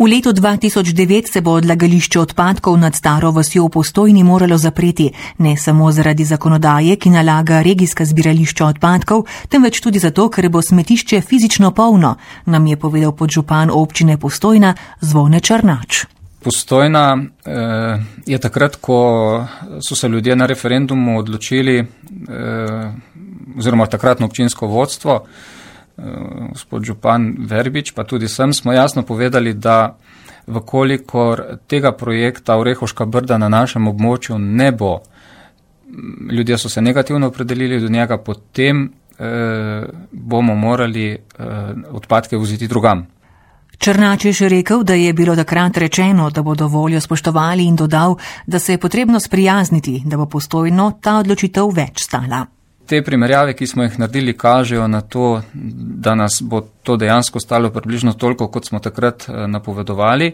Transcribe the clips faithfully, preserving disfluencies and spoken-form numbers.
V letu dva tisoč devet se bo odlagališče odpadkov nad Staro vasjo v Postojni moralo zapreti, ne samo zaradi zakonodaje, ki nalaga regijska zbirališča odpadkov, temveč tudi zato, ker bo smetišče fizično polno, nam je povedal podžupan občine Postojna Zvone Črnač. Postojna eh, je takrat, ko so se ljudje na referendumu odločili, eh, oziroma takratno občinsko vodstvo, gospod župan Verbič, pa tudi sem, smo jasno povedali, da vkolikor tega projekta Orehovška brda na našem območju ne bo, ljudje so se negativno opredelili do njega, potem eh, bomo morali eh, odpadke voziti drugam. Črnač je še rekel, da je bilo takrat rečeno, da bodo voljo spoštovali, in dodal, da se je potrebno sprijazniti, da bo Postojno ta odločitev več stala. Te primerjave, ki smo jih naredili, kažejo na to, da nas bo to dejansko stalo približno toliko, kot smo takrat napovedovali,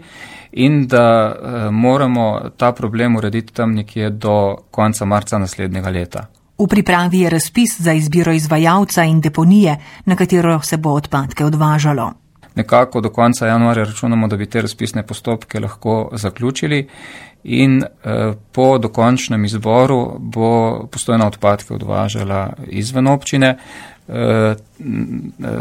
in da moramo ta problem urediti tam nekje do konca marca naslednjega leta. V pripravi je razpis za izbiro izvajalca in deponije, na katero se bo odpadke odvažalo. Nekako do konca januarja računamo, da bi te razpisne postopke lahko zaključili, in eh, po dokončnem izboru bo Postojna odpadke odvažala izven občine. Eh,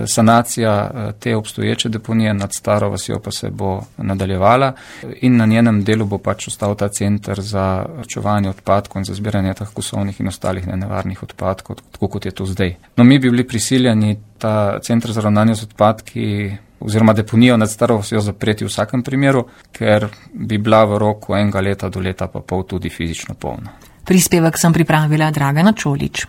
sanacija te obstoječe deponije nad Staro vasjo pa se bo nadaljevala in na njenem delu bo pač ostal ta center za čuvanje odpadkov in za zbiranje teh kosovnih in ostalih nenevarnih odpadkov, tako kot je to zdaj. No, mi bi bili prisiljeni ta center za ravnanje z odpadki oziroma deponijo nad Staro vasjo zapreti v vsakem primeru, ker bi bila v roku enega leta do leta pa pol tudi fizično polna. Prispevek sem pripravila Dragana Čolič.